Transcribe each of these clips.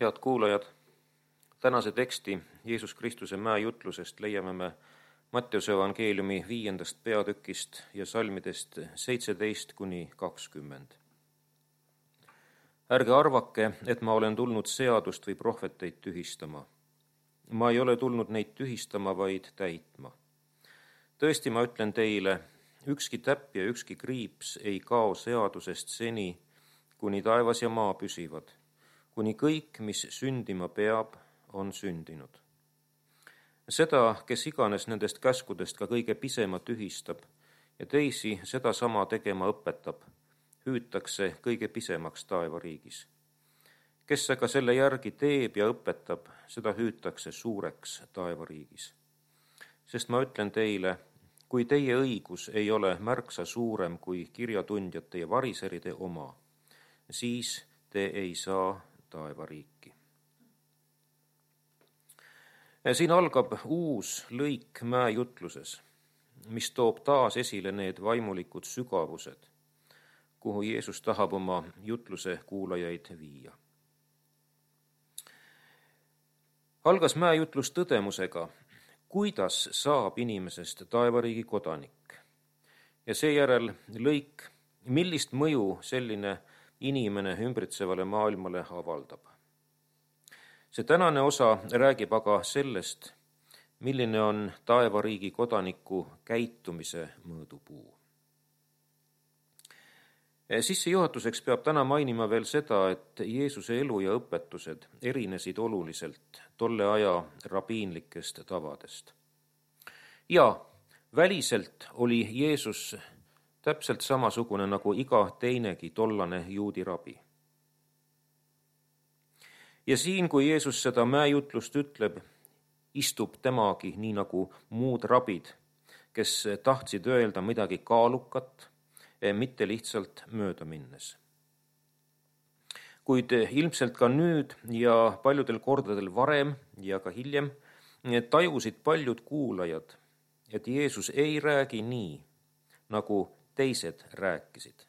Head kuulajad, tänase teksti Jeesus Kristuse mäejutlusest leiame me Matteuse evangeeliumi 5. peatükist ja salmidest 17-20. Ärge arvake, et ma olen tulnud seadust või prohveteid tühistama. Ma ei ole tulnud neid tühistama, vaid täitma. Tõesti, ma ütlen teile, ükski täpp ja ükski kriips ei kao seadusest seni, kuni taevas ja maa püsivad, kuni kõik, mis sündima peab, on sündinud. Seda, kes iganes nendest käskudest ka kõige pisema tühistab ja teisi sedasama tegema õpetab, hüütakse kõige pisemaks taevariigis. Kes aga selle järgi teeb ja õpetab, seda hüütakse suureks taevariigis. Sest ma ütlen teile, kui teie õigus ei ole märksa suurem kui kirjatundjate ja variseride oma, siis te ei saa taevariiki. Siin algab uus lõik mäejutluses, mis toob taas esile need vaimulikud sügavused, kuhu Jeesus tahab oma jutluse kuulajaid viia. Algas mäejutlus tõdemusega, kuidas saab inimesest taevariigi kodanik. Ja seejärel lõik, millist mõju selline inimene ümbritsevale maailmale avaldab. See tänane osa räägib aga sellest, milline on taevariigi kodaniku käitumise mõõdupuu. Sissejuhatuseks peab täna mainima veel seda, et Jeesuse elu ja õpetused erinesid oluliselt tolle aja rabiinlikest tavadest. Ja väliselt oli Jeesus täpselt samasugune nagu iga teinegi tollane juudi rabi. Ja siin, kui Jeesus seda mäejutlust ütleb, istub temagi nii nagu muud rabid, kes tahtsid öelda midagi kaalukat, mitte lihtsalt mööda minnes. Kuid ilmselt ka nüüd ja paljudel kordadel varem ja ka hiljem tajusid paljud kuulajad, et Jeesus ei räägi nii, nagu teised rääkisid.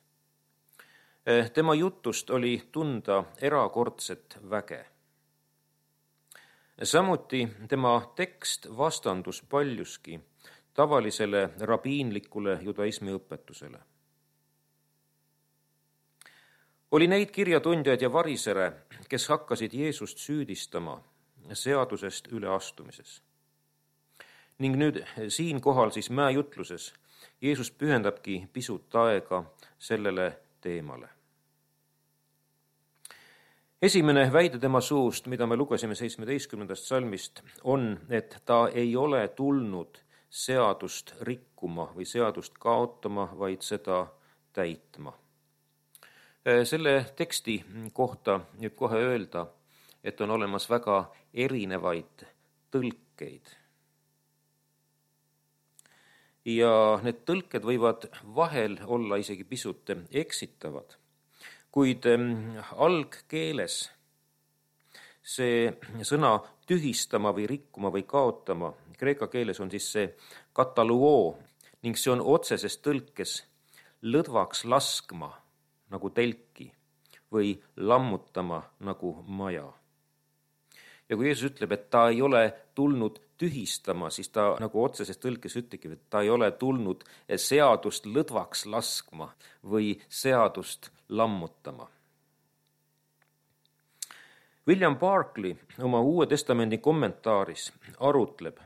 Tema jutust oli tunda erakordset väge. Samuti tema tekst vastandus paljuski tavalisele rabiinlikule judaismi õpetusele. Oli neid kirjatundjaid ja varisere, kes hakkasid Jeesust süüdistama seadusest üleastumises. Ning nüüd siinkohal siis mäejutluses Jeesus pühendabki pisut aega sellele teemale. Esimene väide tema suust, mida me lugesime 17. salmist, on, et ta ei ole tulnud seadust rikkuma või seadust kaotama, vaid seda täitma. Selle teksti kohta nüüd kohe öelda, et on olemas väga erinevaid tõlkeid. Ja need tõlked võivad vahel olla isegi pisut eksitavad, kuid algkeeles see sõna tühistama või rikkuma või kaotama, kreeka keeles on siis see kataluoo ning see on otseses tõlkes lõdvaks laskma nagu telki või lammutama nagu maja. Ja kui Jeesus ütleb, et ta ei ole tulnud tühistama, siis ta nagu otseses tõlkes ütlebki, et ta ei ole tulnud seadust lõdvaks laskma või seadust lammutama. William Barclay oma Uue Testamendi kommentaaris arutleb,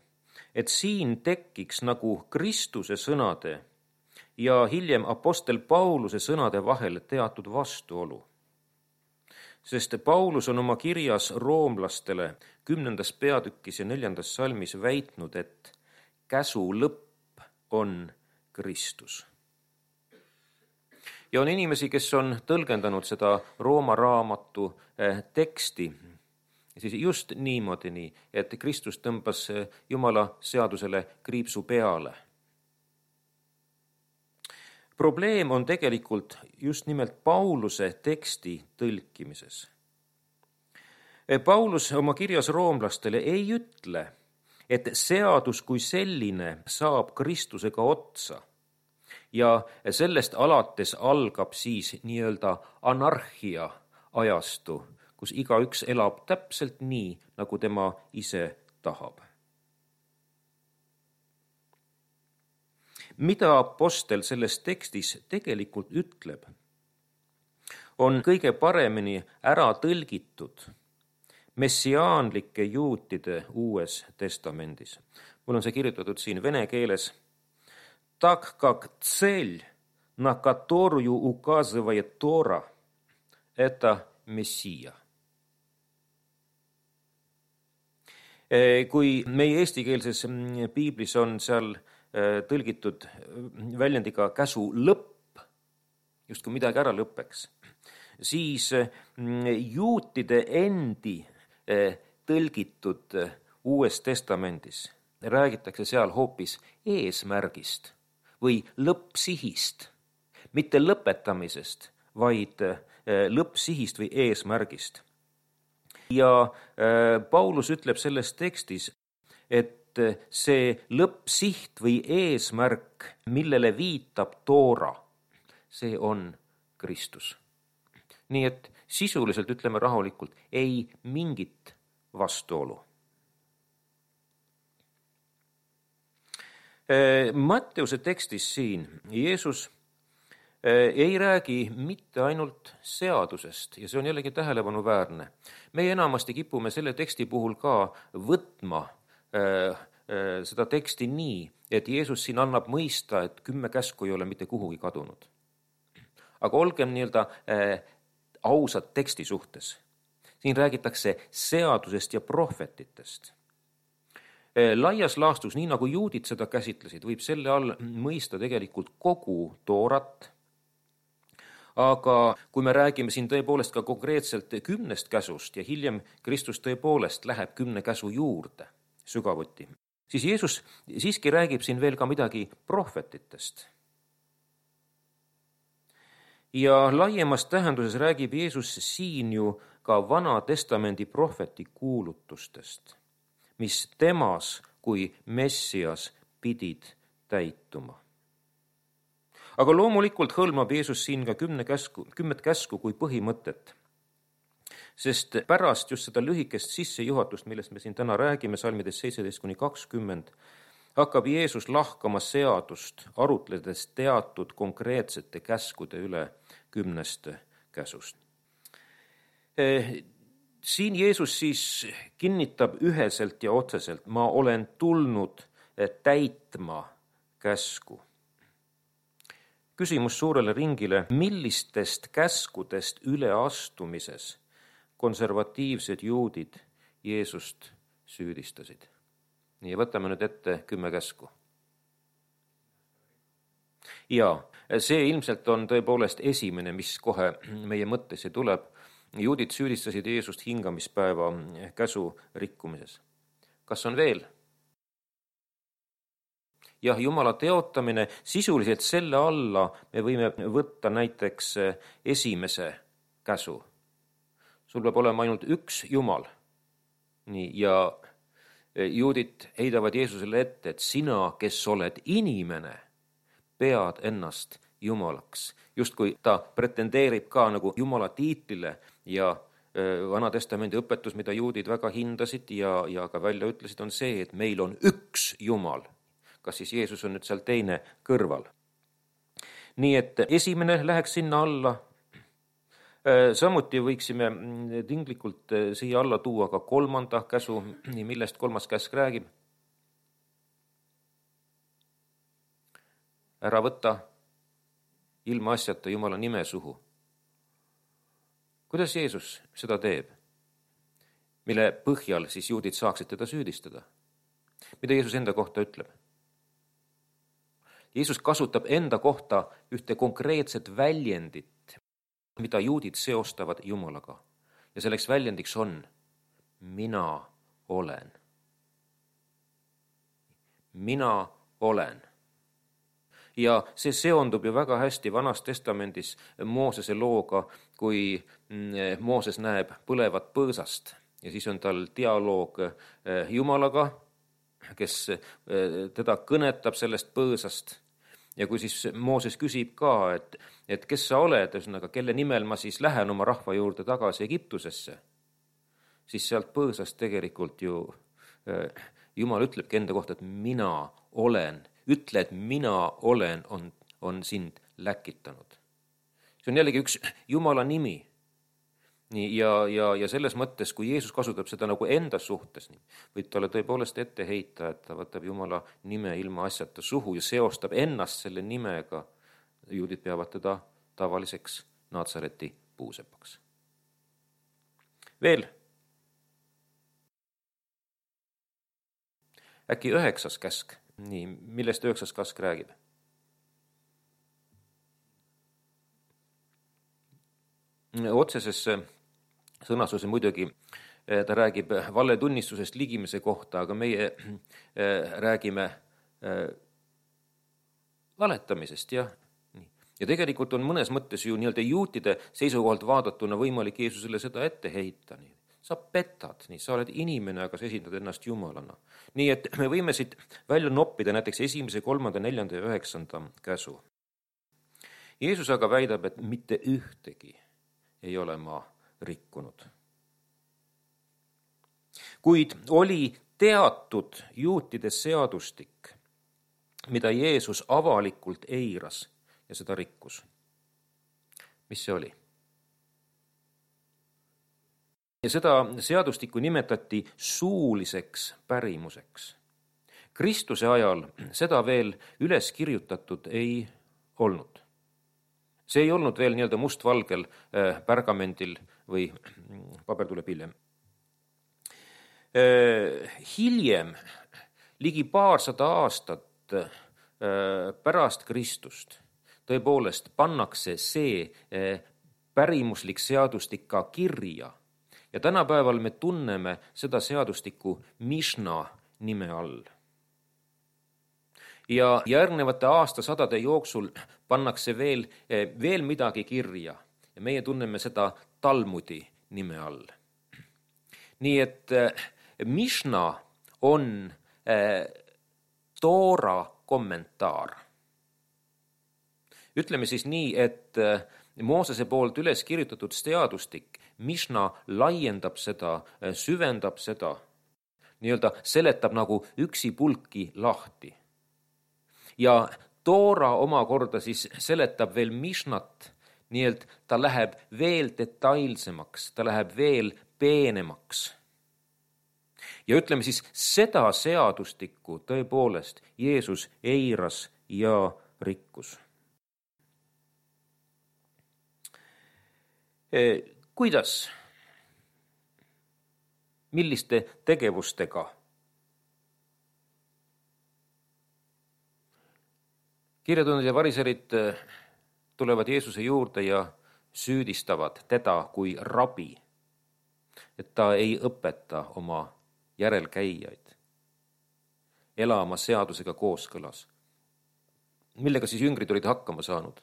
et siin tekiks nagu Kristuse sõnade ja hiljem apostel Pauluse sõnade vahel teatud vastuolu. Sest Paulus on oma kirjas roomlastele 10. peatükis ja 4. salmis väitnud, et käsu lõpp on Kristus. Ja on inimesi, kes on tõlgendanud seda Rooma raamatu teksti siis just niimoodi, et Kristus tõmbas Jumala seadusele kriipsu peale. Probleem on tegelikult just nimelt Pauluse teksti tõlkimises. Paulus oma kirjas roomlastele ei ütle, et seadus kui selline saab Kristusega otsa ja sellest alates algab siis nii-öelda anarhia ajastu, kus igaüks elab täpselt nii, nagu tema ise tahab. Mida apostel selles tekstis tegelikult ütleb, on kõige paremini ära tõlgitud messiaanlike juutide Uues Testamendis. Mul on see kirjutatud siin vene keeles. Так как цель, на которую указывает Тора, это Мессия. Kui meie eestikeelses piiblis on seal tõlgitud väljendiga käsu lõpp, just kui midagi ära lõppeks, siis juutide endi tõlgitud Uues Testamendis räägitakse seal hoopis eesmärgist või lõppsihist, mitte lõpetamisest, vaid lõppsihist või eesmärgist. Ja Paulus ütleb selles tekstis, et see lõppsiht või eesmärk, millele viitab Toora, see on Kristus. Nii et sisuliselt ütleme rahulikult, ei mingit vastuolu. Matteuse tekstis siin Jeesus ei räägi mitte ainult seadusest ja see on jällegi tähelepanuväärne. Meie enamasti kipume selle teksti puhul ka võtma seda teksti nii, et Jeesus siin annab mõista, et 10 käsku ei ole mitte kuhugi kadunud. Aga olgem ausad teksti suhtes. Siin räägitakse seadusest ja prohvetitest. Laias laastus, nii nagu juudid seda käsitlesid, võib selle all mõista tegelikult kogu Toorat. Aga kui me räägime siin tõepoolest ka konkreetselt 10 käsust ja hiljem Kristus tõepoolest läheb 10 käsu juurde sügavuti, siis Jeesus siiski räägib siin veel ka midagi prohvetitest. Ja laiemas tähenduses räägib Jeesus siin ju ka Vana Testamendi prohveti kuulutustest, mis temas kui Messias pidid täituma. Aga loomulikult hõlmab Jeesus siin ka 10 käsku kui põhimõtet, sest pärast just seda lühikest sissejuhatust, millest me siin täna räägime, salmides 17-20, hakkab Jeesus lahkama seadust, arutledes teatud konkreetsete käskude üle 10 käsust. Siin Jeesus siis kinnitab üheselt ja otseselt, ma olen tulnud täitma käsku. Küsimus suurele ringile, millistest käskudest üleastumises konservatiivsed juudid Jeesust süüdistasid? Nii, võtame nüüd ette 10 käsku. Ja see ilmselt on tõepoolest esimene, mis kohe meie mõttesse tuleb. Juudid süüdistasid Jeesust hingamispäeva käsu rikkumises. Kas on veel? Jah, Jumala teotamine, sisuliselt selle alla me võime võtta näiteks esimese käsu. Sul peab olema ainult üks Jumal. Nii, ja juudid heidavad Jeesusele ette, et sina, kes oled inimene, pead ennast Jumalaks. Just kui ta pretendeerib ka nagu Jumala tiitlile ja Vana Testamendi õpetus, mida juudid väga hindasid ja ka välja ütlesid, on see, et meil on üks Jumal. Kas siis Jeesus on nüüd seal teine kõrval. Nii et esimene läheks sinna alla. Samuti võiksime tinglikult siia alla tuua ka 3. käsu, millest 3. käsk räägib. Ära võta ilma asjata Jumala nime suhu. Kuidas Jeesus seda teeb? Mille põhjal siis juudid saaksid teda süüdistada? Mida Jeesus enda kohta ütleb? Jeesus kasutab enda kohta ühte konkreetset väljendit, mida juudid seostavad Jumalaga. Ja selleks väljendiks on mina olen. Mina olen. Ja see seondub ju väga hästi Vanas Testamendis Moosese looga, kui Mooses näeb põlevat põõsast ja siis on tal dialoog Jumalaga, kes teda kõnetab sellest põõsast. Ja kui siis Mooses küsib ka, et kes sa oled, kelle nimel ma siis lähen oma rahva juurde tagasi Egiptusesse, siis sealt põõsast tegelikult ju Jumal ütlebki enda kohta, et mina olen, ütle, et mina olen, on sind läkitanud. See on jällegi üks Jumala nimi. Nii, ja selles mõttes, kui Jeesus kasutab seda nagu enda suhtes, võib talle tõepoolest ette heita, et ta võtab Jumala nime ilma asjata suhu ja seostab ennast selle nimega. Juudid peavad teda tavaliseks Naatsareti puusepaks. Veel. Äkki 9. käsk. Nii, millest 9. käsk räägib? Otseses sõnastuse muidugi ta räägib valetunnistusest ligimise kohta, aga meie räägime valetamisest, jah. Ja tegelikult on mõnes mõttes ju nii-öelda juutide seisukohalt vaadatuna võimalik Jeesusele seda ette heita. Sa petad, sa oled inimene, aga sa esindad ennast Jumalana. Nii et me võime siit välja noppida näiteks 1., 3., 4. ja 9. käsu. Jeesus aga väidab, et mitte ühtegi ei ole ma rikkunud. Kuid oli teatud juutide seadustik, mida Jeesus avalikult eiras ja seda rikkus. Mis see oli? Ja seda seadustikku nimetati suuliseks pärimuseks. Kristuse ajal seda veel üles kirjutatud ei olnud. See ei olnud veel nii-öelda mustvalgel pärgamendil või paber tuleb hiljem. Hiljem, ligi 200 aastat pärast Kristust, tõepoolest pannakse see pärimuslik seadustik ka kirja. Ja tänapäeval me tunneme seda seadustikku Mišna nime all. Ja järgnevate aastasadade jooksul pannakse veel midagi kirja ja meie tunneme seda Talmudi nime all. Nii et Mišna on Toora kommentaar. Ütleme siis nii, et Moosese poolt üles kirjutatud seadustik, Mišna laiendab seda, süvendab seda, nii-öelda seletab nagu üksipulki lahti. Ja Toora omakorda siis seletab veel Mišnat, nii et ta läheb veel detailsemaks, ta läheb veel peenemaks. Ja ütleme siis, seda seadustikku tõepoolest Jeesus eiras ja rikkus. Kuidas? Milliste tegevustega? Kirjatundjad ja variserid tulevad Jeesuse juurde ja süüdistavad teda kui rabi, et ta ei õpeta oma järelkäijaid elama seadusega kooskõlas. Millega siis jüngrid olid hakkama saanud?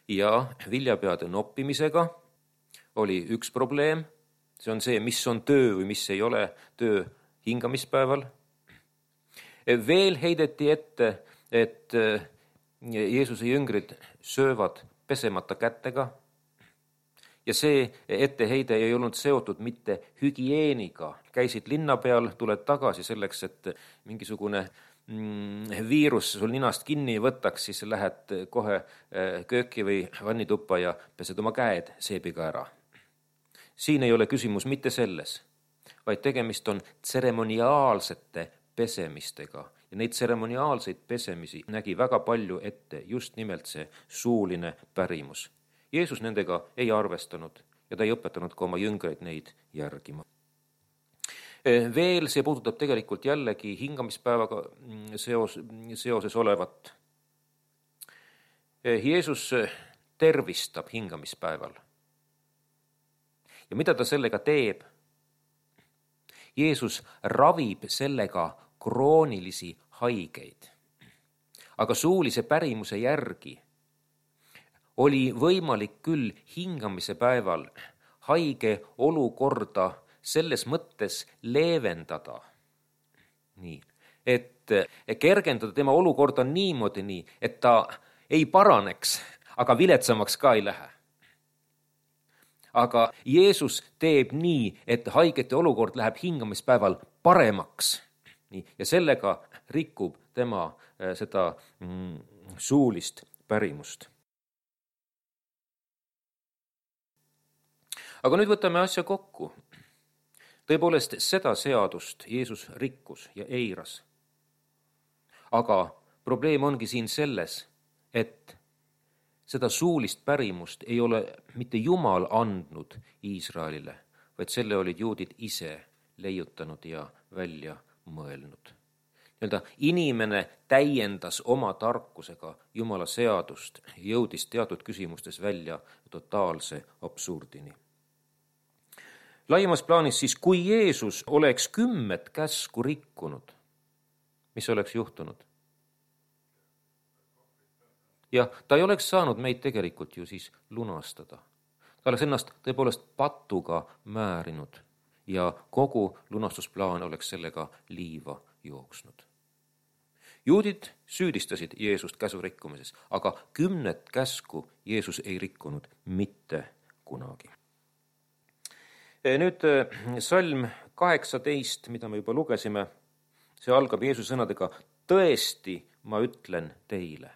Ja viljapeade noppimisega oli üks probleem. See on see, mis on töö või mis ei ole töö hingamispäeval. Veel heideti ette, et Jeesuse jüngrid söövad pesemata kätega. Ja see etteheide ei olnud seotud mitte hügieeniga. Käisid linna peal, tuled tagasi selleks, et mingisugune viirus sul ninast kinni võtaks, siis lähed kohe kööki või vannituppa ja pesed oma käed seebiga ära. Siin ei ole küsimus mitte selles, vaid tegemist on tseremoniaalsete pesemistega. Ja neid tseremoniaalseid pesemisi nägi väga palju ette just nimelt see suuline pärimus. Jeesus nendega ei arvestanud ja ta ei õpetanud ka oma jüngreid neid järgima. Veel see puudutab tegelikult jällegi hingamispäevaga seoses olevat. Jeesus tervistab hingamispäeval. Ja mida ta sellega teeb? Jeesus ravib sellega kroonilisi haigeid. Aga suulise pärimuse järgi oli võimalik küll hingamise päeval haige olukorda selles mõttes leevendada. Nii, et kergendada tema olukorda niimoodi nii, et ta ei paraneks, aga viletsamaks ka ei lähe. aga Jeesus teeb nii, et haigete olukord läheb hingamispäeval paremaks. Nii, ja sellega rikub tema seda suulist pärimust. Aga nüüd võtame asja kokku. Tõepoolest, seda seadust Jeesus rikkus ja eiras. Aga probleem ongi siin selles, et seda suulist pärimust ei ole mitte Jumal andnud Iisraelile, vaid selle olid juudid ise leiutanud ja välja mõelnud. Inimene täiendas oma tarkusega Jumala seadust, jõudis teatud küsimustes välja totaalse absurdini. Laiemas plaanis siis, kui Jeesus oleks 10 käsku rikkunud, mis oleks juhtunud? Ja ta ei oleks saanud meid tegelikult ju siis lunastada. Ta oleks ennast tõepoolest patuga määrinud ja kogu lunastusplaan oleks sellega liiva jooksnud. Juudid süüdistasid Jeesust käsu rikkumises, aga 10 käsku Jeesus ei rikkunud mitte kunagi. Nüüd salm 18, mida me juba lugesime, see algab Jeesuse sõnadega: tõesti, ma ütlen teile.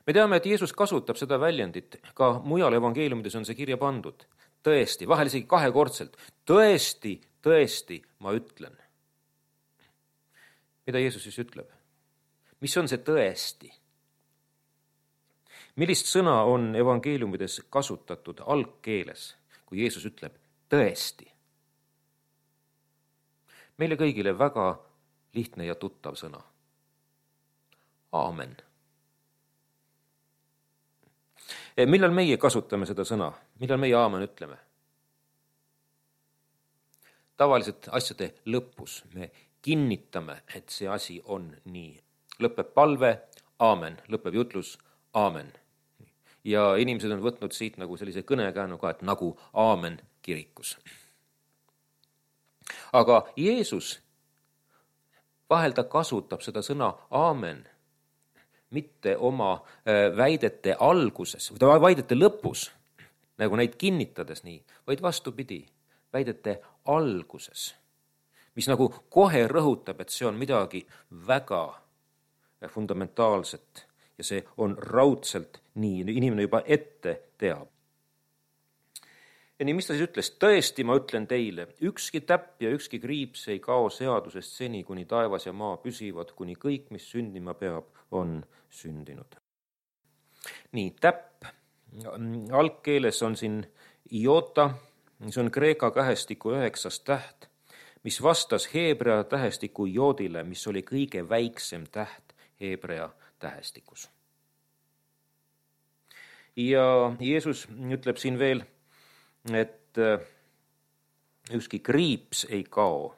Me teame, et Jeesus kasutab seda väljendit, ka mujal evangeeliumides on see kirja pandud. Tõesti, vahel isegi 2-kordselt. Tõesti, tõesti, ma ütlen. Mida Jeesus siis ütleb? Mis on see tõesti? Millist sõna on evangeeliumides kasutatud algkeeles, kui Jeesus ütleb tõesti? Meile kõigile väga lihtne ja tuttav sõna. Aamen. Millal meie kasutame seda sõna? Millal meie aamen ütleme? Tavaliselt asjade lõpus me kinnitame, et see asi on nii. Lõpeb palve, aamen. Lõpeb jutlus, aamen. Ja inimesed on võtnud siit nagu sellise kõnekäänu ka, et nagu aamen kirikus. Aga Jeesus vahel ta kasutab seda sõna aamen mitte oma väidete alguses või väidete lõpus, nagu neid kinnitades nii, vaid vastupidi, väidete alguses, mis nagu kohe rõhutab, et see on midagi väga fundamentaalset ja see on raudselt nii, inimene juba ette teab. Ja nii, mis ta siis ütles? Tõesti, ma ütlen teile, ükski täpp ja ükski kriips ei kao seadusest seni, kuni taevas ja maa püsivad, kuni kõik, mis sündima peab, on sündinud. Nii, täpp. Algkeeles on siin iota, see on kreeka tähestiku 9. täht, mis vastas heebrea tähestiku joodile, mis oli kõige väiksem täht heebrea tähestikus. Ja Jeesus ütleb siin veel, et ükski kriips ei kao.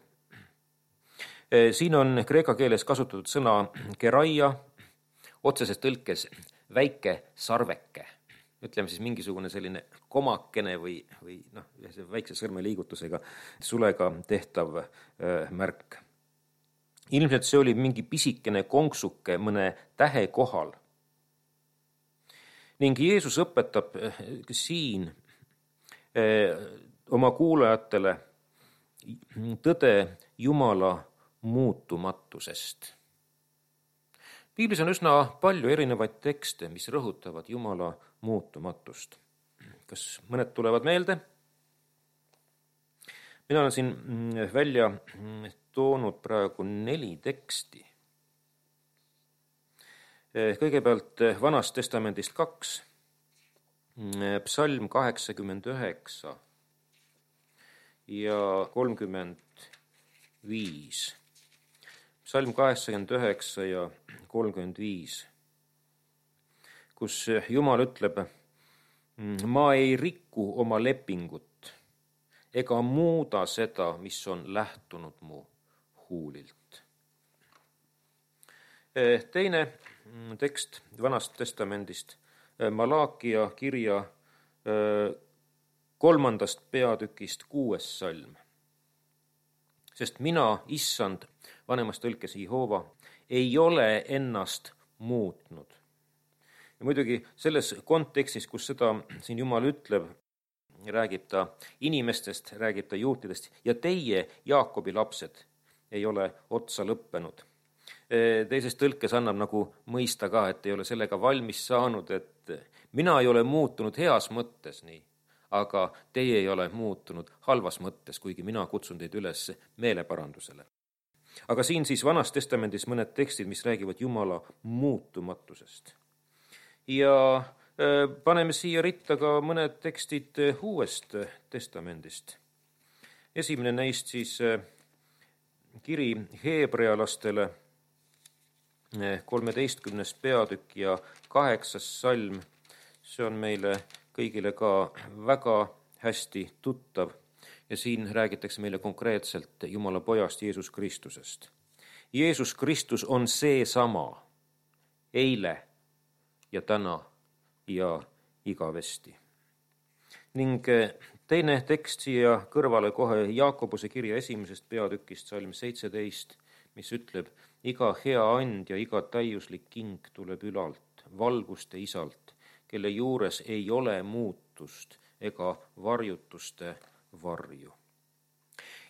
Siin on kreeka keeles kasutatud sõna keraia, otseses tõlkes väike sarveke. Ütleme siis mingisugune selline komakene või väikse sõrmeliigutusega sulega tehtav märk. Ilmselt see oli mingi pisikene konksuke mõne tähe kohal. Ning Jeesus õpetab siin oma kuulajatele tõde Jumala muutumatusest. Piiblis on üsna palju erinevaid tekste, mis rõhutavad Jumala muutumatust. Kas mõned tulevad meelde? Mina olen siin välja toonud praegu 4 teksti. Kõigepealt Vanast testamendist 2. Psalm 89 ja 35. Psalm 89 ja 35, kus Jumal ütleb: ma ei riku oma lepingut ega muuda seda, mis on lähtunud mu huulilt. Teine tekst Vanast testamendist, Malaakia kirja 3. peatükist 6. salm. Sest mina, issand, vanemas tõlkes Jehova, ei ole ennast muutnud. Ja muidugi selles kontekstis, kus seda siin Jumal ütleb, räägib ta inimestest, räägib ta juutidest ja teie, Jaakobi lapsed, ei ole otsa lõppenud. Teises tõlkes annab nagu mõista ka, et ei ole sellega valmis saanud, et mina ei ole muutunud heas mõttes nii, aga teie ei ole muutunud halvas mõttes, kuigi mina kutsun teid üles meeleparandusele. Aga siin siis Vanas Testamendis mõned tekstid, mis räägivad Jumala muutumatusest. Ja paneme siia ritta ka mõned tekstid Uuest Testamendist. Esimene neist siis kiri heebrealastele, 13. peatükk ja 8. salm. See on meile kõigile ka väga hästi tuttav ja siin räägitakse meile konkreetselt Jumala pojast Jeesus Kristusest. Jeesus Kristus on seesama eile ja täna ja igavesti. Ning teine tekst siia kõrvale kohe Jaakobuse kirja 1. peatükist, salm 17, mis ütleb, iga hea and ja iga täiuslik king tuleb ülalt, valguste isalt, kelle juures ei ole muutust ega varjutuste varju.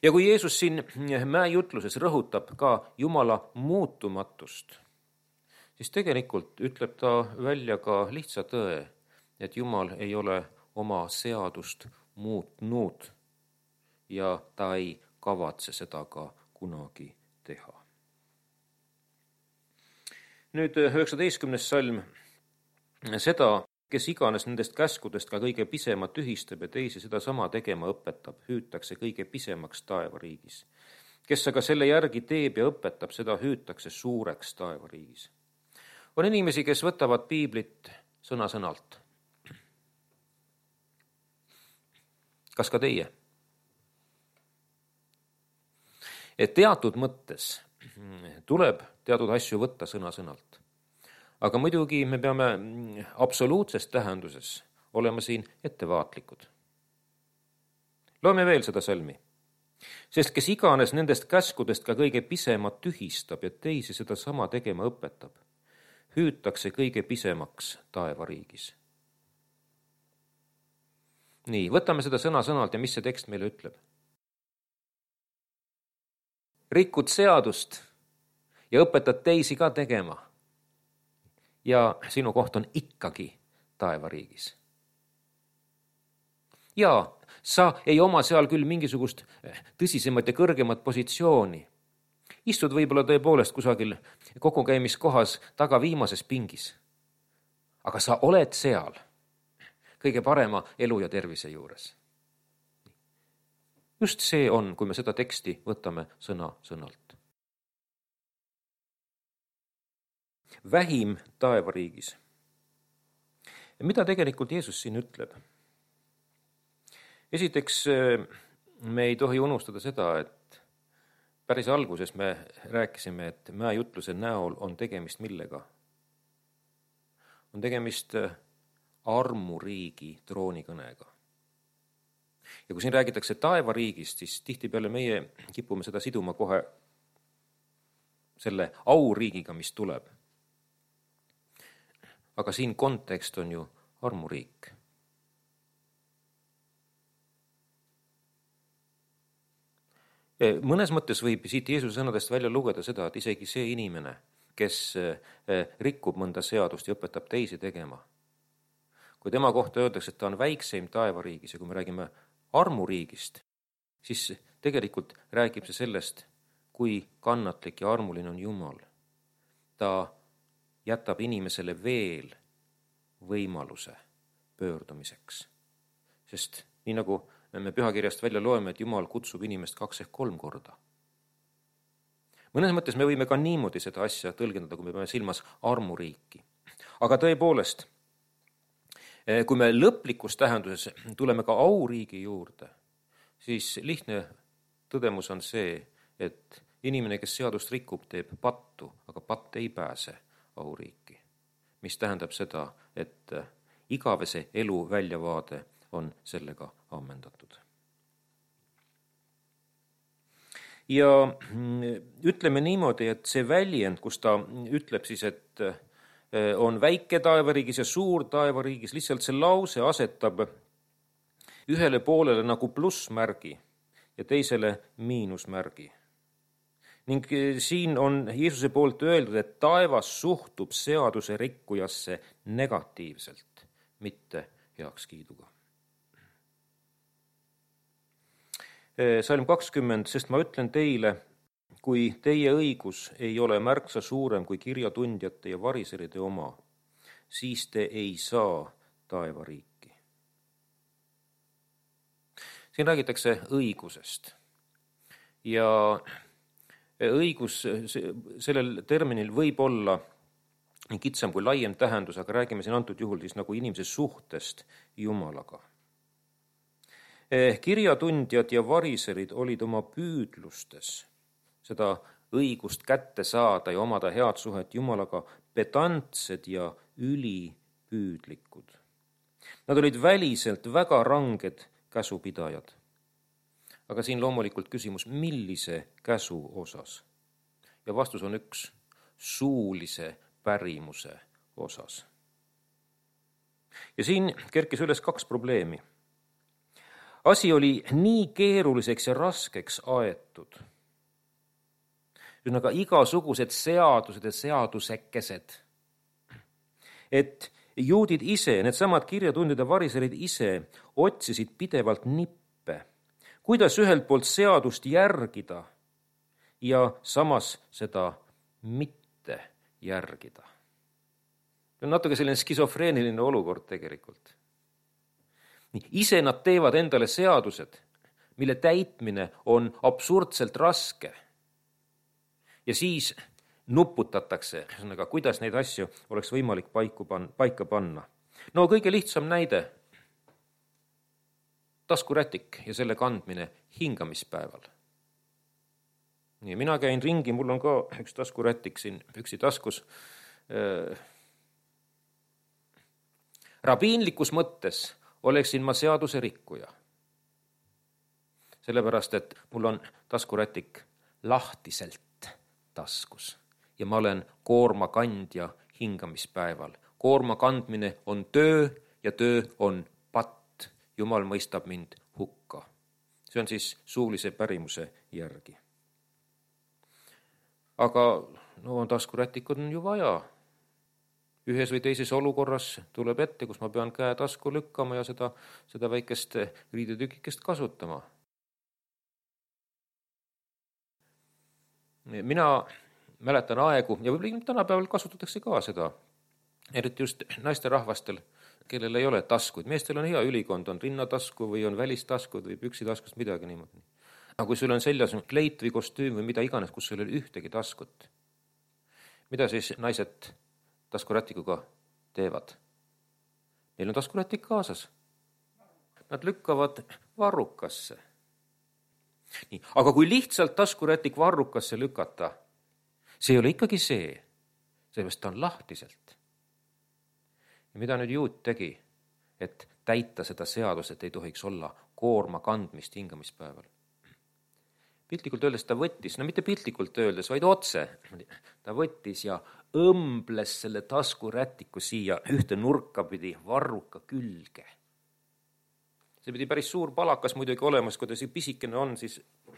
Ja kui Jeesus siin mäejutluses rõhutab ka Jumala muutumatust, siis tegelikult ütleb ta välja ka lihtsa tõe, et Jumal ei ole oma seadust muutnud ja ta ei kavatse seda ka kunagi teha. Nüüd 19. salm. Seda, kes iganes nendest käskudest ka kõige pisema tühistab ja teisi seda sama tegema õpetab, hüütakse kõige pisemaks taevariigis. Kes aga selle järgi teeb ja õpetab, seda hüütakse suureks taevariigis. On inimesi, kes võtavad piiblit sõna-sõnalt. Kas ka teie? Et teatud mõttes tuleb teatud asju võtta sõna-sõnalt. Aga muidugi me peame absoluutses tähenduses olema siin ettevaatlikud. Loeme veel seda salmi. Sest kes iganes nendest käskudest ka kõige pisema tühistab ja teisi seda sama tegema õpetab, hüütakse kõige pisemaks taevariigis. Nii, võtame seda sõna-sõnalt ja mis see tekst meile ütleb? Rikud seadust ja õpetad teisi ka tegema. Ja sinu koht on ikkagi taevariigis. Ja sa ei oma seal küll mingisugust tõsisemat ja kõrgemat positsiooni. Istud võib-olla tõepoolest kusagil kogukäimiskohas taga viimases pingis. Aga sa oled seal kõige parema elu ja tervise juures. Just see on, kui me seda teksti võtame sõna-sõnalt. Vähim taevariigis. Mida tegelikult Jeesus siin ütleb? Esiteks, me ei tohi unustada seda, et päris alguses me rääkisime, et mäejutluse näol on tegemist millega? On tegemist armuriigi troonikõnega. Ja kui siin räägitakse taevariigist, siis tihtipeale meie kipume seda siduma kohe selle auriigiga, mis tuleb. Aga siin kontekst on ju armuriik. Mõnes mõttes võib siit Jeesuse sõnadest välja lugeda seda, et isegi see inimene, kes rikub mõnda seadust ja õpetab teisi tegema, kui tema kohta öeldakse, et ta on väikseim taevariigis ja kui me räägime armuriigist, siis tegelikult räägib see sellest, kui kannatlik ja armuline on Jumal. Ta jätab inimesele veel võimaluse pöördumiseks. Sest nii nagu me pühakirjast välja loeme, et Jumal kutsub inimest 2 ehk 3 korda. Mõnes mõttes me võime ka niimoodi seda asja tõlgendada, kui me peame silmas armuriiki. Aga tõepoolest, kui me lõplikus tähenduses tuleme ka auriigi juurde, siis lihtne tõdemus on see, et inimene, kes seadust rikub, teeb pattu, aga patt ei pääse auriiki. Mis tähendab seda, et igavese elu väljavaade on sellega ammendatud. Ja ütleme niimoodi, et see väljend, kus ta ütleb siis, et on väike taevariigis ja suur taevariigis, lihtsalt see lause asetab ühele poolele nagu plussmärgi ja teisele miinusmärgi. Ning siin on Jeesuse poolt öeldud, et taevas suhtub seaduse rikkujasse negatiivselt, mitte heakskiiduga. Salm 20, sest ma ütlen teile, kui teie õigus ei ole märksa suurem kui kirjatundjate ja variseride oma, siis te ei saa taevariiki. Siin räägitakse õigusest ja õigus sellel terminil võib olla nii kitsam kui laiem tähendus, aga räägime siin antud juhul siis nagu inimese suhtest Jumalaga. Kirjatundjad ja variserid olid oma püüdlustes seda õigust kätte saada ja omada head suhet Jumalaga pedantsed ja ülipüüdlikud. Nad olid väliselt väga ranged käsupidajad. Aga siin loomulikult küsimus, millise käsu osas? Ja vastus on üks, suulise pärimuse osas. Ja siin kerkis üles 2 probleemi. Asi oli nii keeruliseks ja raskeks aetud. Ühesõnaga igasugused seadused ja seadusekesed. Et juudid ise, needsamad kirjatundjad ja variserid ise otsisid pidevalt nippe, kuidas ühelt poolt seadust järgida ja samas seda mitte järgida. See on natuke selline skisofreeniline olukord tegelikult. Ise nad teevad endale seadused, mille täitmine on absurdselt raske. Ja siis nuputatakse, kuidas neid asju oleks võimalik paika panna. No kõige lihtsam näide. Taskurätik ja selle kandmine hingamispäeval. Nii, mina käin ringi, mul on ka üks taskurätik siin püksi taskus. Rabiinlikus mõttes oleksin ma seaduse rikkuja. Sellepärast, et mul on taskurätik lahtiselt taskus ja ma olen koorma kandja hingamispäeval. Koorma kandmine on töö ja töö on patt. Jumal mõistab mind hukka. See on siis suulise pärimuse järgi. Aga taskurätikud on ju vaja. Ühes või teises olukorras tuleb ette, kus ma pean käe tasku lükkama ja seda väikest riidetükikest kasutama. Mina mäletan aegu, ja võib-olla tänapäeval kasutatakse ka seda, eriti just naisterahvastel, kellel ei ole taskuid. Meestel on hea ülikond, on rinnatasku või on välistaskud või püksitaskust midagi niimoodi. Aga kui sul on seljas kleit või kostüüm või mida iganes, kus sul ei ole ühtegi taskut, mida siis naised taskurätikuga teevad? Neil on taskurätik kaasas. Nad lükkavad varrukasse. Nii, aga kui lihtsalt taskurätik varrukasse lükata, see ei ole ikkagi see, sellepärast ta on lahtiselt. Ja mida nüüd juut tegi, et täita seda seadust, et ei tohiks olla koorma kandmist hingamispäeval? Piltlikult öeldes ta võttis, mitte piltlikult öeldes, vaid otse, ta võttis ja õmbles selle taskurätiku siia ühte nurka pidi varruka külge. See pidi päris suur palakas muidugi olemas, kui ta see pisikene on, siis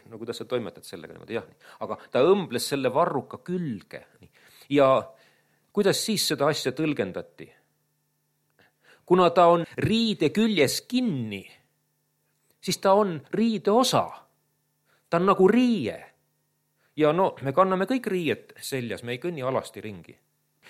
no kuidas sa toimetad sellega niimoodi, jah. Aga ta õmbles selle varruka külge. Ja kuidas siis seda asja tõlgendati? Kuna ta on riide küljes kinni, siis ta on riide osa. Ta on nagu riie. Ja me kanname kõik riiet seljas, me ei kõnni alasti ringi.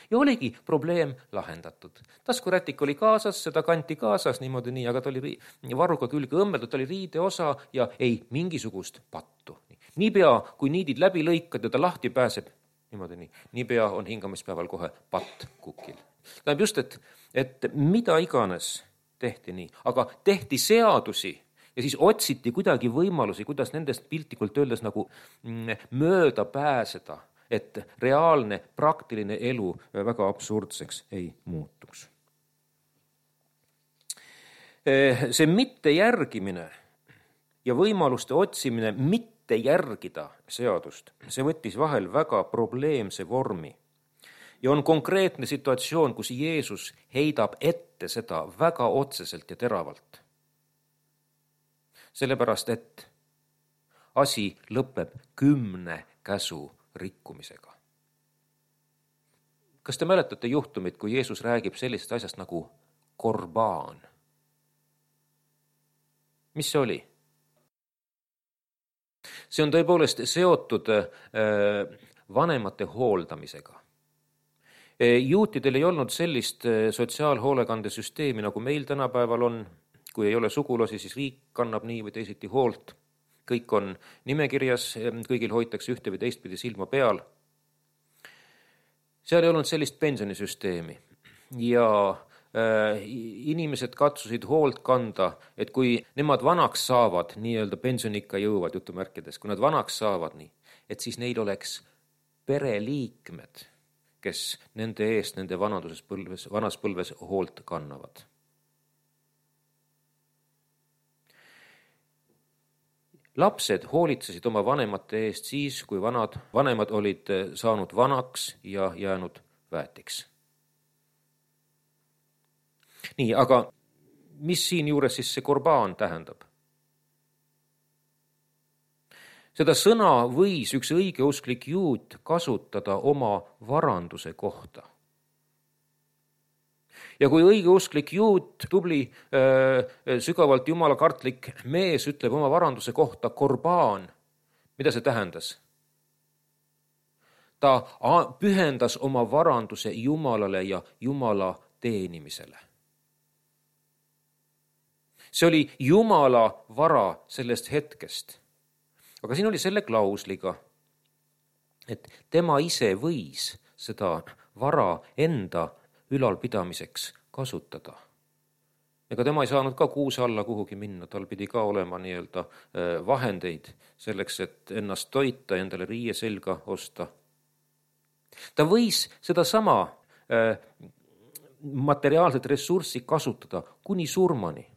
Ja oligi probleem lahendatud. Taskurätik oli kaasas, seda kanti kaasas niimoodi nii, aga ta oli varruka külge õmmeldud, ta oli riide osa ja ei mingisugust pattu. Niipea, kui niidid läbi lõikad ja ta lahti pääseb, niimoodi nii, niipea on hingamispäeval kohe patt kukil. Tähendab just, et mida iganes tehti nii, aga tehti seadusi ja siis otsiti kuidagi võimalusi, kuidas nendest piltlikult öeldes nagu mööda pääseda, et reaalne, praktiline elu väga absurdseks ei muutuks. See mittejärgimine ja võimaluste otsimine mitte järgida seadust, see võttis vahel väga probleemse vormi. Ja on konkreetne situatsioon, kus Jeesus heidab ette seda väga otseselt ja teravalt. sellepärast et asi lõpeb 10 käsu rikkumisega. Kas te mäletate juhtumit, kui Jeesus räägib sellisest asjast nagu korbaan? Mis see oli? See on tõepoolest seotud vanemate hooldamisega. Juutidel ei olnud sellist sotsiaalhoolekandesüsteemi, nagu meil tänapäeval on. Kui ei ole sugulasi, siis riik kannab nii või teisiti hoolt. Kõik on nimekirjas, kõigil hoitakse ühte või teistpidi silma peal. Seal ei olnud sellist pensionisüsteemi ja inimesed katsusid hoolt kanda, et kui nemad vanaks saavad, nii-öelda pensionikka jõuavad jutumärkides, kui nad vanaks saavad nii, et siis neil oleks pereliikmed, kes nende eest nende vanas põlves hoolt kannavad. Lapsed hoolitsesid oma vanemate eest siis, kui vanemad olid saanud vanaks ja jäänud väetiks. Nii, aga mis siin juures siis see korbaan tähendab? Seda sõna võis üks õigeusklik juut kasutada oma varanduse kohta. Ja kui õigeusklik juut, tubli, sügavalt jumalakartlik mees ütleb oma varanduse kohta korbaan, mida see tähendas? Ta pühendas oma varanduse Jumalale ja Jumala teenimisele. See oli Jumala vara sellest hetkest. Aga siin oli selle klausliga, et tema ise võis seda vara enda ülalpidamiseks kasutada. Ega tema ei saanud ka kuuse alla kuhugi minna, tal pidi ka olema nii-öelda vahendeid selleks, et ennast toita, endale riie selga osta. Ta võis seda sama materiaalset ressurssi kasutada kuni surmani.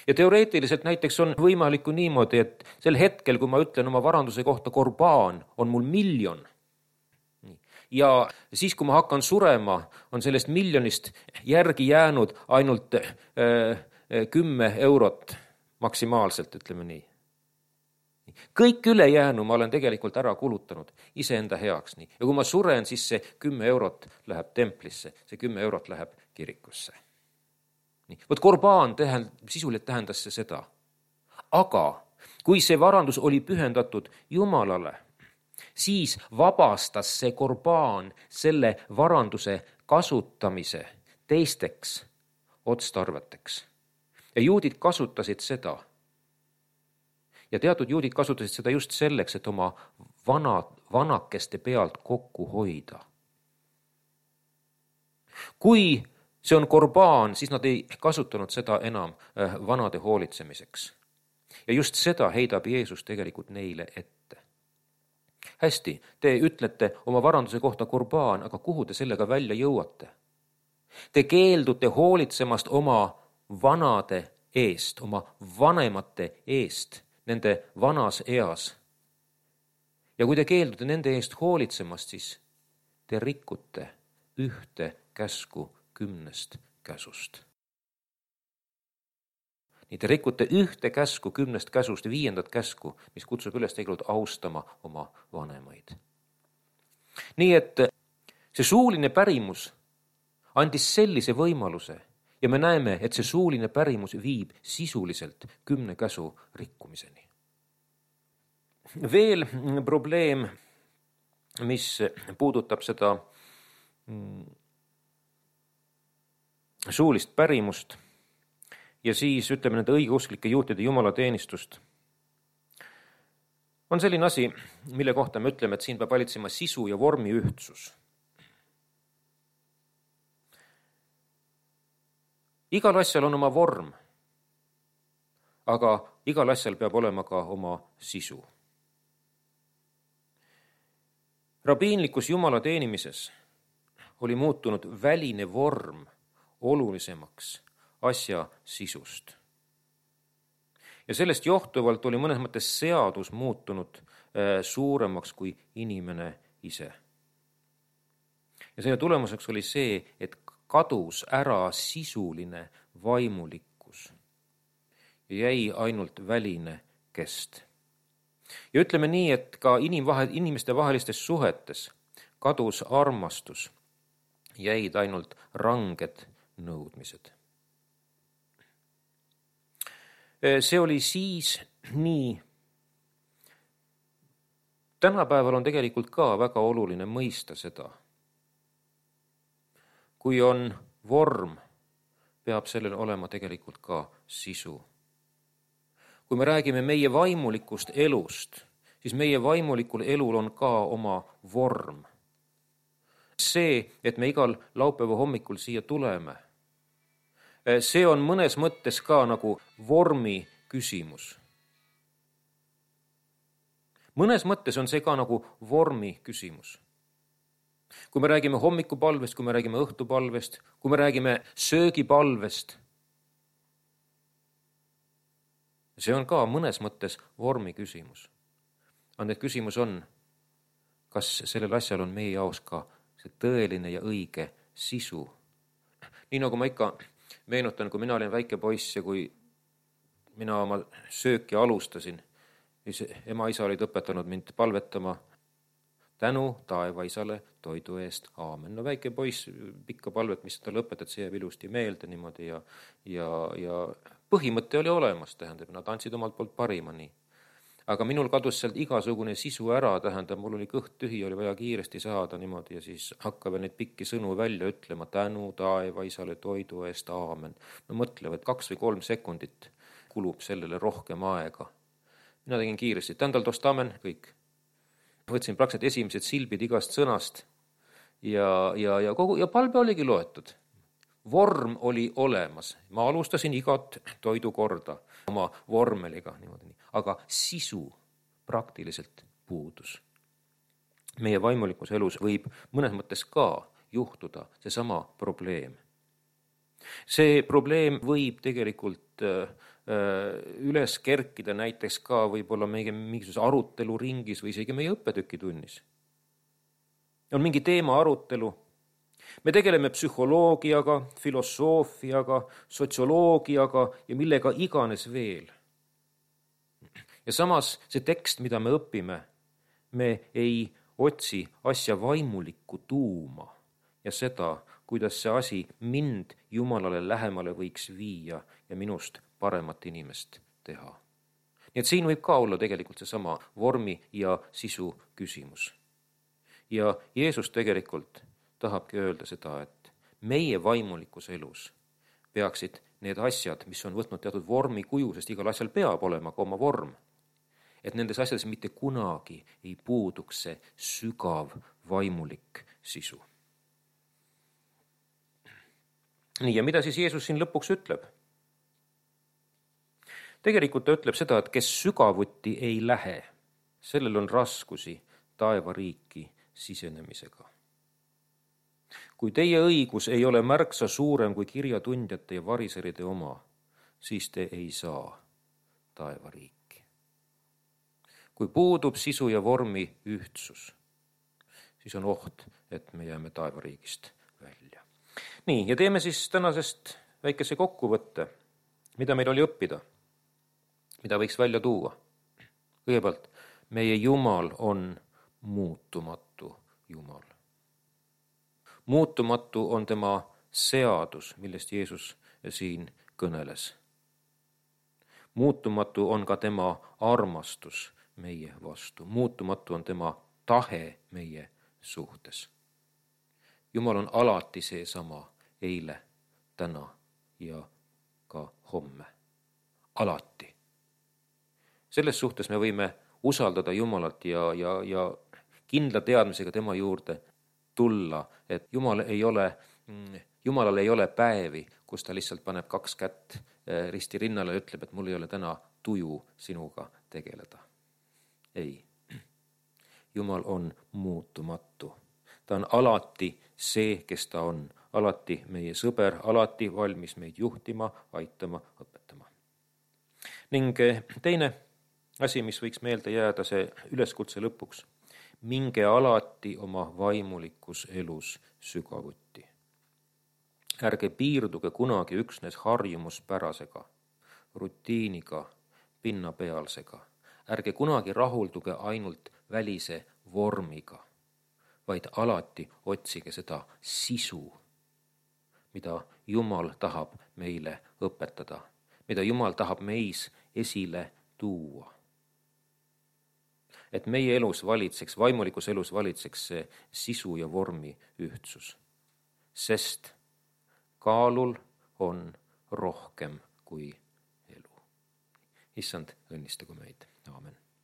Ja teoreetiliselt näiteks on võimalikku niimoodi, et sel hetkel, kui ma ütlen oma varanduse kohta korbaan, on mul 1 000 000. Ja siis, kui ma hakkan surema, on sellest 1 000 000 järgi jäänud ainult 10 eurot maksimaalselt, ütleme nii. Kõik ülejäänu ma olen tegelikult ära kulutanud iseenda heaks. Nii. Ja kui ma suren, siis see 10 eurot läheb templisse, see 10 eurot läheb kirikusse. Võt korbaan sisuliselt tähendas see seda. Aga kui see varandus oli pühendatud Jumalale, siis vabastas see korbaan selle varanduse kasutamise teisteks otstarveteks. Ja juudid kasutasid seda. Ja teatud juudid kasutasid seda just selleks, et oma vanakeste pealt kokku hoida. Kui see on korbaan, siis nad ei kasutanud seda enam vanade hoolitsemiseks. Ja just seda heidab Jeesus tegelikult neile ette. Hästi, te ütlete oma varanduse kohta korbaan, aga kuhu te sellega välja jõuate? Te keeldute hoolitsemast oma vanade eest, oma vanemate eest, nende vanas eas. Ja kui te keeldute nende eest hoolitsemast, siis te rikute ühte käsku 10 käsust. Nii te rikute ühte käsku 10 käsust, 5. käsku, mis kutsub üles tegelikult austama oma vanemaid. Nii et see suuline pärimus andis sellise võimaluse ja me näeme, et see suuline pärimus viib sisuliselt 10 käsu rikkumiseni. Veel probleem, mis puudutab seda suulist pärimust ja siis ütleme nende õigeusklike juutide jumalateenistust, on selline asi, mille kohta me ütleme, et siin peab valitsema sisu ja vormi ühtsus. Igal asjal on oma vorm, aga igal asjal peab olema ka oma sisu. Rabiinlikus Jumala teenimises oli muutunud väline vorm olulisemaks asja sisust. Ja sellest johtuvalt oli mõnes mõttes seadus muutunud suuremaks kui inimene ise. Ja selle tulemuseks oli see, et kadus ära sisuline vaimulikkus. jäi ainult väline kest. Ja ütleme nii, et ka inimeste vahelistes suhetes kadus armastus, jäid ainult ranged nõudmised. See oli siis nii. Tänapäeval on tegelikult ka väga oluline mõista seda. Kui on vorm, peab sellel olema tegelikult ka sisu. Kui me räägime meie vaimulikust elust, siis meie vaimulikul elul on ka oma vorm. See, et me igal laupäeva hommikul siia tuleme, see on mõnes mõttes ka nagu vormi küsimus. Mõnes mõttes on see ka nagu vormi küsimus. Kui me räägime hommikupalvest, kui me räägime õhtupalvest, kui me räägime söögipalvest, see on ka mõnes mõttes vormi küsimus. Aga need küsimus on, kas sellel asjal on meie jaoks ka see tõeline ja õige sisu. Nii nagu ma ikka meenutan, kui mina olin väike poiss ja kui mina oma sööki alustasin, siis ema-isa olid õpetanud mind palvetama tänu taevaisale toidu eest. Aamen. No väike poiss, pikka palvet, mis ta lõpetad, see jääb ilusti meelde niimoodi ja põhimõte oli olemas, tähendab, nad andsid omalt poolt parima nii. Aga minul kadus sealt igasugune sisu ära, tähendab, mul oli kõht tühi, oli vaja kiiresti saada niimoodi ja siis hakkab neid pikki sõnu välja ütlema tänu taevaisale toidu eest, aamen. No mõtlevad, 2 või 3 sekundit kulub sellele rohkem aega. Mina tegin kiiresti, tändal tost amen, kõik. Võtsin praktiliselt esimesed silbid igast sõnast ja palve oligi loetud. Vorm oli olemas. Ma alustasin igat toidukorda oma vormeliga, niimoodi. Aga sisu praktiliselt puudus. Meie vaimulikus elus võib mõnes mõttes ka juhtuda seesama probleem. See probleem võib tegelikult üles kerkida näiteks ka võib-olla meie mingisuguse aruteluringis või isegi meie õppetükitunnis. On mingi teema arutelu. Me tegeleme psühholoogiaga, filosoofiaga, sotsioloogiaga ja millega iganes veel. Ja samas see tekst, mida me õpime, me ei otsi asja vaimulikku tuuma ja seda, kuidas see asi mind Jumalale lähemale võiks viia ja minust paremat inimest teha. Nii et siin võib ka olla tegelikult seesama vormi ja sisu küsimus. Ja Jeesus tegelikult tahabki öelda seda, et meie vaimulikus elus peaksid need asjad, mis on võtnud teatud vormi kuju, sest igal asjal peab olema ka oma vorm, et nendes asjades mitte kunagi ei puuduks see sügav vaimulik sisu. Nii, ja mida siis Jeesus siin lõpuks ütleb? Tegelikult ta ütleb seda, et kes sügavuti ei lähe, sellel on raskusi taevariiki sisenemisega. Kui teie õigus ei ole märksa suurem kui kirjatundjate ja variseride oma, siis te ei saa taevariiki. Kui puudub sisu ja vormi ühtsus, siis on oht, et me jääme taevariigist välja. Nii, ja teeme siis tänasest väikese kokkuvõtte, mida meil oli õppida, mida võiks välja tuua. Kõigepealt, meie Jumal on muutumatu Jumal. Muutumatu on tema seadus, millest Jeesus siin kõneles. Muutumatu on ka tema armastus meie vastu. Muutumatu on tema tahe meie suhtes. Jumal on alati seesama eile, täna ja ka homme. Alati. Selles suhtes me võime usaldada Jumalat ja kindla teadmisega tema juurde tulla, et Jumalal ei ole päevi, kus ta lihtsalt paneb 2 kätt risti rinnale ja ütleb, et mul ei ole täna tuju sinuga tegeleda. Ei. Jumal on muutumatu. Ta on alati see, kes ta on. Alati meie sõber, alati valmis meid juhtima, aitama, õpetama. Ning teine asi, mis võiks meelde jääda, see üleskutse lõpuks. Minge alati oma vaimulikus elus sügavuti. Ärge piirduge kunagi üksnes harjumuspärasega, rutiiniga, pinnapealsega. Ärge kunagi rahulduge ainult välise vormiga, vaid alati otsige seda sisu, mida Jumal tahab meile õpetada, mida Jumal tahab meis esile tuua. Et meie elus valitseks, vaimulikus elus valitseks see sisu ja vormi ühtsus. Sest kaalul on rohkem kui elu. Issand, õnnistagu meid. Aamen.